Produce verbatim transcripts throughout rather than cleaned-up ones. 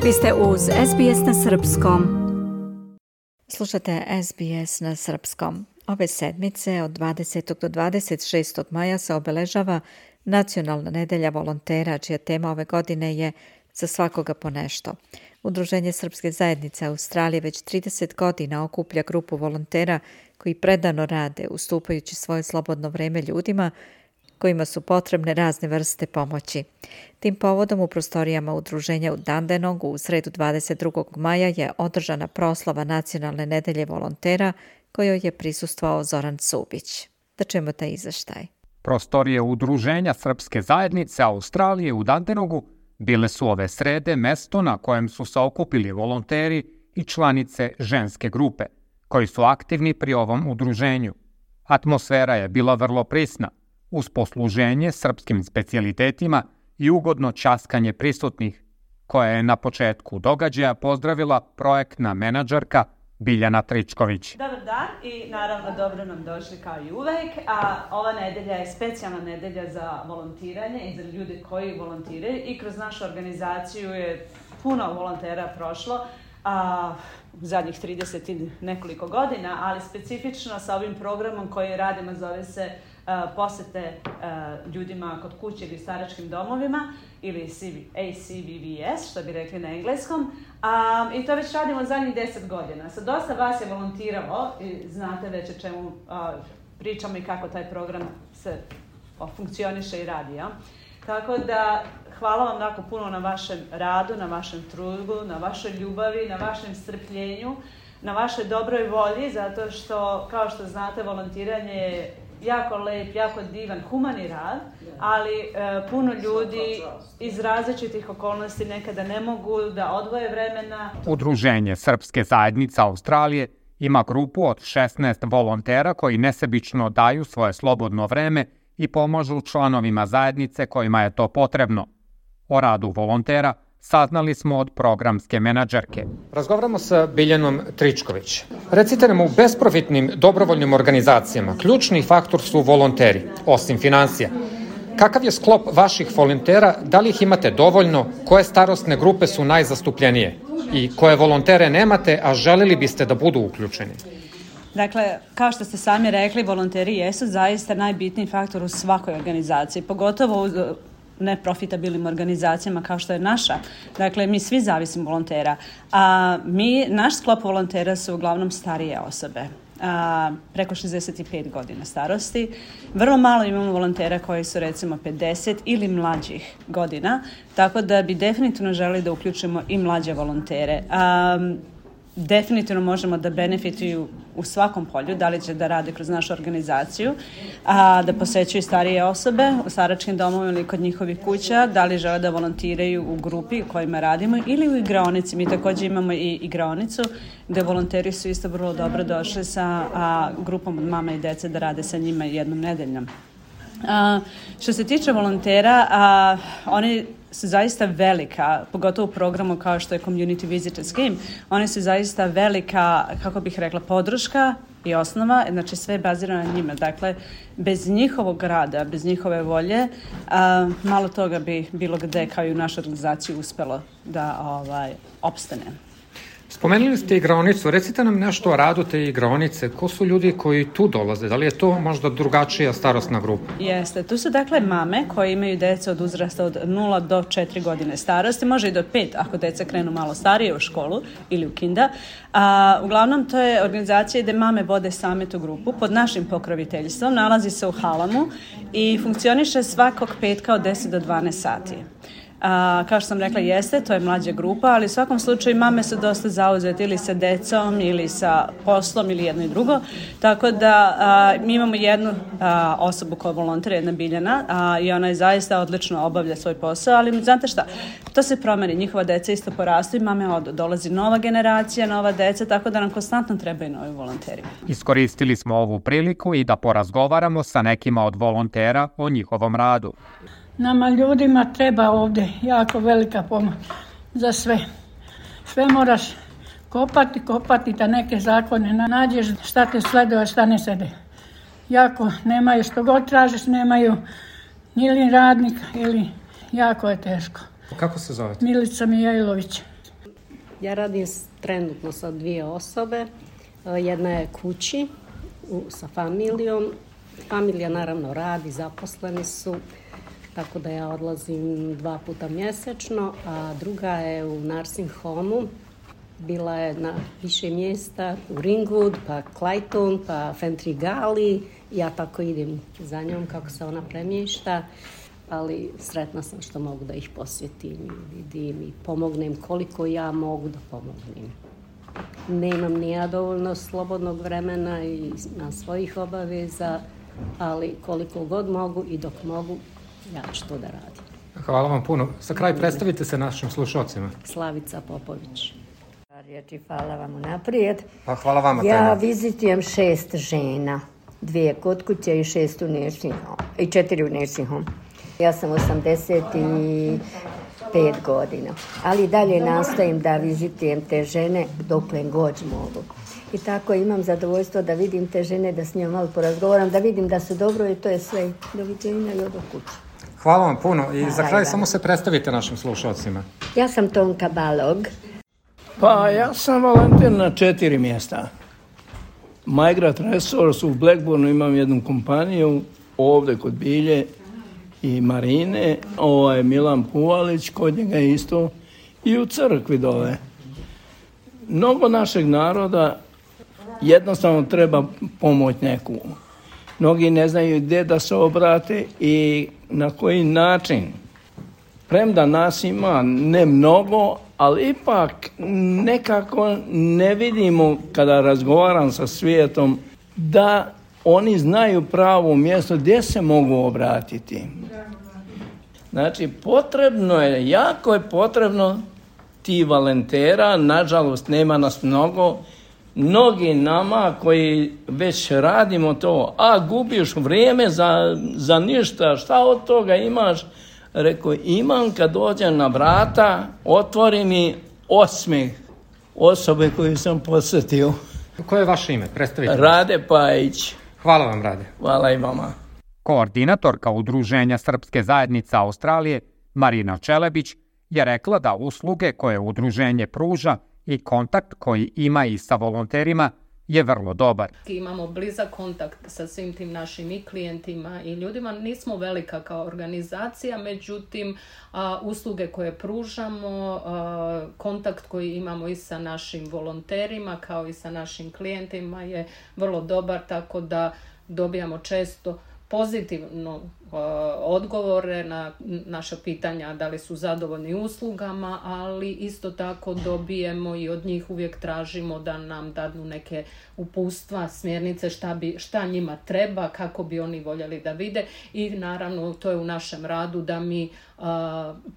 Vi ste uz S B S na srpskom. Slušate S B S na srpskom. Ove sedmice od dvadesetog do dvadeset šestog maja se obeležava Nacionalna nedelja volontera, čija tema ove godine je Za svakoga po nešto. Udruženje Srpske zajednice Australije već trideset godina okuplja grupu volontera koji predano rade, ustupajući svoje slobodno vreme ljudima kojima su potrebne razne vrste pomoći. Tim povodom u prostorijama udruženja u Dandenongu u sredu dvadeset drugog maja je održana proslava Nacionalne nedelje volontera kojoj je prisustvovao Zoran Cubić. Da čujemo taj izveštaj. Prostorije udruženja Srpske zajednice Australije u Dandenongu bile su ove srede mesto na kojem su se okupili volonteri i članice ženske grupe, koji su aktivni pri ovom udruženju. Atmosfera je bila vrlo prisna, uz posluženje srpskim specijalitetima i ugodno ćaskanje prisutnih, koje je na početku događaja pozdravila projektna menadžerka Biljana Tričković. Dobar dan i naravno dobro nam došli kao i uvek. A ova nedelja je specijalna nedelja za volontiranje i za ljude koji volontiraju i kroz našu organizaciju je puno volontera prošlo a, u zadnjih trideset i nekoliko godina, ali specifično sa ovim programom koji radimo zove se Uh, posete uh, ljudima kod kuće ili staračkim domovima ili A C V V S, što bi rekli na engleskom. Um, I to već radimo zadnjih deset godina. Sa dosta vas je volontiralo i znate već o čemu uh, pričamo i kako taj program se uh, funkcioniše i radi. Ja? Tako da hvala vam jako puno na vašem radu, na vašem trudu, na vašoj ljubavi, na vašem strpljenju, na vašoj dobroj volji, zato što, kao što znate, volontiranje je jako lep, jako divan, humani rad, ali e, puno ljudi iz različitih okolnosti nekada ne mogu da odvoje vremena. Udruženje Srpske zajednice Australije ima grupu od šesnaest volontera koji nesebično daju svoje slobodno vreme i pomažu članovima zajednice kojima je to potrebno. O radu volontera saznali smo od programske menadžerke. Razgovaramo sa Biljanom Tričković. Recite nam, u besprofitnim dobrovoljnim organizacijama ključni faktor su volonteri, osim finansija. Kakav je sklop vaših volontera, da li ih imate dovoljno, koje starosne grupe su najzastupljenije i koje volontere nemate, a želeli biste da budu uključeni? Dakle, kao što ste sami rekli, volonteri jesu zaista najbitniji faktor u svakoj organizaciji, pogotovo u neprofitabilnim organizacijama kao što je naša. Dakle, mi svi zavisimo volontera. A mi, naš sklop volontera su uglavnom starije osobe. A, preko šezdeset pet godina starosti. Vrlo malo imamo volontera koji su recimo pedeset ili mlađih godina, tako da bi definitivno želeli da uključimo i mlađe volontere. A, definitivno možemo da benefituju u svakom polju, da li će da rade kroz našu organizaciju, a, da posećuju starije osobe u staračkim domovima ili kod njihovih kuća, da li žele da volontiraju u grupi u kojima radimo ili u igraonici. Mi također imamo i igraonicu gde volonteri su isto vrlo dobro došli sa a, grupom od mama i dece da rade sa njima jednom nedeljom. A, što se tiče volontera, a, oni su zaista velika, pogotovo u programu kao što je Community Visitor Scheme, oni su zaista velika, kako bih rekla, podrška i osnova, znači sve je bazirano na njima. Dakle, bez njihovog rada, bez njihove volje, a, malo toga bi bilo gde kao i u našoj organizaciji uspelo da ovaj, opstane. Spomenuli ste igraonicu, recite nam nešto o radu te igraonice. Ko su ljudi koji tu dolaze? Da li je to možda drugačija starosna grupa? Jeste, tu su dakle mame koje imaju deca od uzrasta od nula do četiri godine starosti, može i do pet ako deca krenu malo starije u školu ili u kinda. A, uglavnom to je organizacija gde mame vode same tu grupu pod našim pokroviteljstvom, nalazi se u Halamu i funkcioniše svakog petka od deset do dvanaest sati. A, kao što sam rekla, jeste, to je mlađa grupa, ali u svakom slučaju mame su dosta zauzete ili sa decom ili sa poslom ili jedno i drugo, tako da a, mi imamo jednu a, osobu koja volontira, jedna Biljana, a, i ona je zaista odlično obavlja svoj posao, ali znate šta, to se promeni, njihova deca isto porastu i mame odu, dolazi nova generacija, nova deca, tako da nam konstantno trebaju novi volonteri. Iskoristili smo ovu priliku i da porazgovaramo sa nekima od volontera o njihovom radu. Nama ljudima treba ovdje jako velika pomoć za sve. Sve moraš kopati, kopati da neke zakone nađeš, šta te sleduje, šta ne sede. Jako nemaju, što god tražiš, nemaju ili radnika ili jako je teško. Kako se zovete? Milica Mijailović. Ja radim trenutno sa dvije osobe. Jedna je kući u, sa familijom. Familija naravno radi, zaposleni su, tako da ja odlazim dva puta mjesečno, a druga je u nursing homu. Bila je na više mjesta, u Ringwood, pa Clayton, pa Fentrigali. Ja tako idem za njom kako se ona premješta, ali sretna sam što mogu da ih posjetim i vidim i pomognem koliko ja mogu da pomognem. Nemam ni ja dovoljno slobodnog vremena i na svojih obaveza, ali koliko god mogu i dok mogu, ja ću to da radim. Hvala vam puno. Za kraj predstavite se našim slušalcima. Slavica Popović. Riječi, hvala vam unaprijed. Pa hvala vama. Ja tema. vizitujem šest žena, dvije kod kuće i šest u nursing home, i četiri u nursing home. Ja sam osamdeset pet godina, ali dalje nastojim da vizitujem te žene dokle god mogu. I tako imam zadovoljstvo da vidim te žene, da s njima malo porazgovaram, da vidim da su dobro i to je sve. Doviđenja i odo kuće. Hvala vam puno i Hvala za kraj vam. samo se predstavite našim slušalcima. Ja sam Tonka Balog. Pa ja sam volonter na četiri mjesta. Migrant Resource u Blackburnu imam jednu kompaniju, ovdje kod Bilje i Marine, ovo je Milan Puvalić, kod njega isto, i u crkvi dole. Mnogo našeg naroda jednostavno treba pomoć neku. Mnogi ne znaju gdje da se obrate i na koji način. Premda nas ima ne mnogo, ali ipak nekako ne vidimo kada razgovaram sa svijetom da oni znaju pravo mjesto gdje se mogu obratiti. Znači, potrebno je, jako je potrebno ti volontera, nažalost nema nas mnogo, mnogi nama koji već radimo to, a gubiš vrijeme za, za ništa, šta od toga imaš? Rekao, imam kad dođem na vrata, otvori mi osmijeh osobe koju sam posjetio. Koje je vaše ime? Predstavite. Rade Pajić. Hvala vam, Rade. Hvala i vama. Koordinatorka Udruženja Srpske zajednice Australije, Marina Čelebić, je rekla da usluge koje udruženje pruža i kontakt koji ima i sa volonterima je vrlo dobar. Imamo blizak kontakt sa svim tim našim i klijentima i ljudima. Nismo velika kao organizacija, međutim a, usluge koje pružamo, a, kontakt koji imamo i sa našim volonterima kao i sa našim klijentima je vrlo dobar, tako da dobijamo često pozitivno uh, odgovore na naša pitanja da li su zadovoljni uslugama, ali isto tako dobijemo i od njih uvijek tražimo da nam dadnu neke uputstva, smjernice šta, bi, šta njima treba, kako bi oni voljeli da vide i naravno to je u našem radu da mi uh,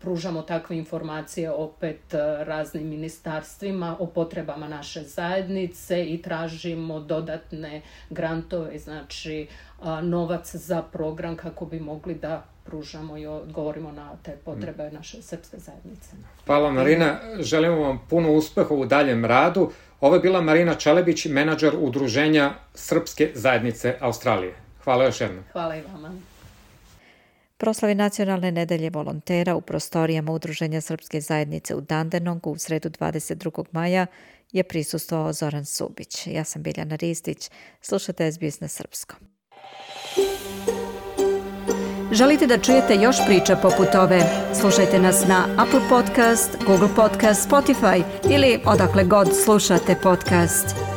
pružamo takve informacije opet uh, raznim ministarstvima o potrebama naše zajednice i tražimo dodatne grantove, znači novac za program kako bi mogli da pružamo i odgovorimo na te potrebe naše srpske zajednice. Hvala Marina, želimo vam puno uspeha u daljem radu. Ovo je bila Marina Čelebić, menadžer Udruženja Srpske zajednice Australije. Hvala još jednom. Hvala i vama. Proslavi Nacionalne nedelje volontera u prostorijama Udruženja Srpske zajednice u Dandenongu u sredu dvadeset drugog maja je prisustvovao Zoran Subić. Ja sam Biljana Ristić. Slušate S B S na srpskom. Želite da čujete još priča poput ove? Slušajte nas na Apple Podcast, Google Podcast, Spotify ili odakle god slušate podcast.